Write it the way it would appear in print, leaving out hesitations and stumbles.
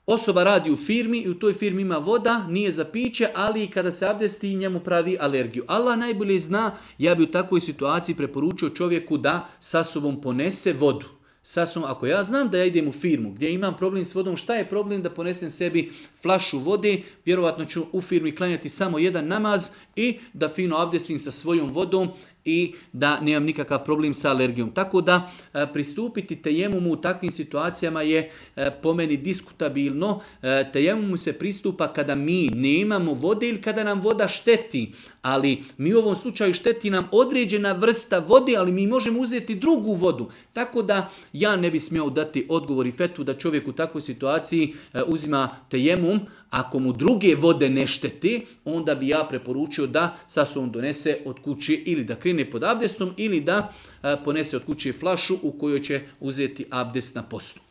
Osoba radi u firmi i u toj firmi ima voda, nije za piće, ali kada se abdesti njemu pravi alergiju. Allah najbolje zna, ja bi u takvoj situaciji preporučio čovjeku da sa sobom ponese vodu. Ako ja znam da ja idem u firmu gdje imam problem s vodom, šta je problem da ponesem sebi flašu vode, vjerovatno ću u firmi klanjati samo jedan namaz i da fino abdestim sa svojom vodom i da nemam nikakav problem sa alergijom. Tako da pristupiti tejemumu u takvim situacijama je po meni diskutabilno. Tejemumu se pristupa kada mi nemamo vode ili kada nam voda šteti. Ali mi u ovom slučaju šteti nam određena vrsta vode, ali mi možemo uzeti drugu vodu. Tako da ja ne bi smio dati odgovor i fetvu da čovjek u takvoj situaciji uzima tejemum. Ako mu druge vode ne štete, onda bi ja preporučio da sa sobom donese od kuće ili da krene pod abdestom ili da ponese od kuće flašu u kojoj će uzeti abdest na postu.